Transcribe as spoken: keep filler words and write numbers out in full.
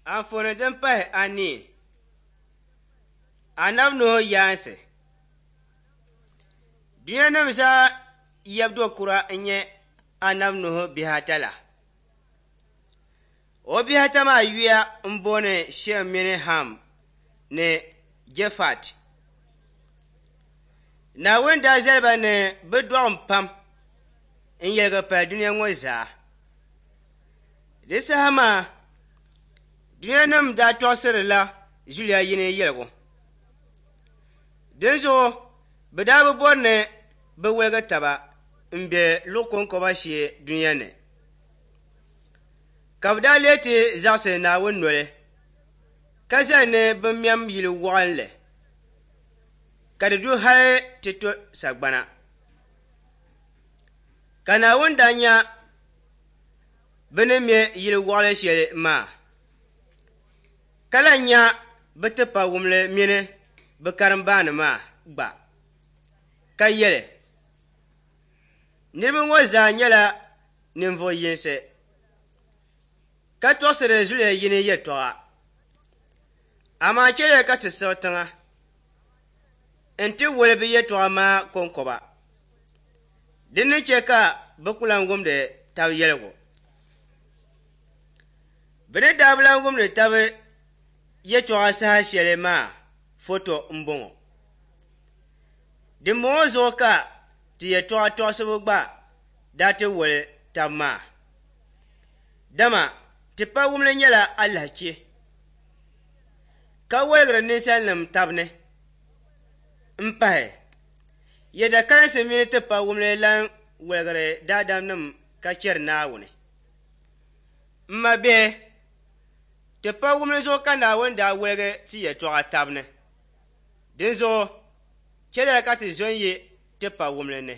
Anfooni din pahi anii, Anabi Nuhu yaansi. Dunianim zaa yab kura n-nyɛ Anabi Nuhu bihi ata la. O bihi ata maa yuya m-booni Shem mini Ham ni Jafat. Naawuni daa zali ba ni bɛ dɔɣim pam n-yɛligi pali dunia ŋɔ zaa. Di saha maa dunianim daa tɔɣisirila zuliya yini yɛligu. Dinzuɣu bɛ daa bi bɔri ni bɛ woligi taba m-be luɣ kɔŋkɔba shee dunia ni. Ka bɛ daa lee ti zaɣisi Naawuni noli, ka zali ni bɛ mɛm yili waɣinli, ka di du hali ti to sagbana. Ka Naawuni daa nya bɛ ni me yili waɣinli shɛli maa, ka lan nya bɛ tipawumli mini bɛ karimbaani maa gba, ka yɛli, niriba ŋɔ zaa nyɛla ninvuɣ yinsi, ka tɔɣisiri zuliya yini yɛtɔɣa. Amaa chɛliya ka ti siɣi tiŋa nti woli bɛ yɛtɔɣa maa kɔŋkɔba, din ni chɛ ka bɛ ku lan wumdi tab yɛligu. Bɛ ni daa bi lan wumdi tab yɛtɔɣa saha shɛli maa foto m-bɔŋɔ. Dimbɔŋɔ zuɣu ka ti yɛtɔɣa tɔɣisibu gba daa ti woli tab maa, dama tipawumli nyɛla alahichi, ka woligiri ninsalinim tab ni. M-pahi, yɛda kalinsi mini tipawumli lan woligiri daadamnim ka chɛri Naawuni. M mabihi, tipawumli zuɣu ka Naawuni daa woligi ti yɛtɔɣa tab ni. Dinzuɣu chɛliya ka ti zo n-yi tipawumli ni.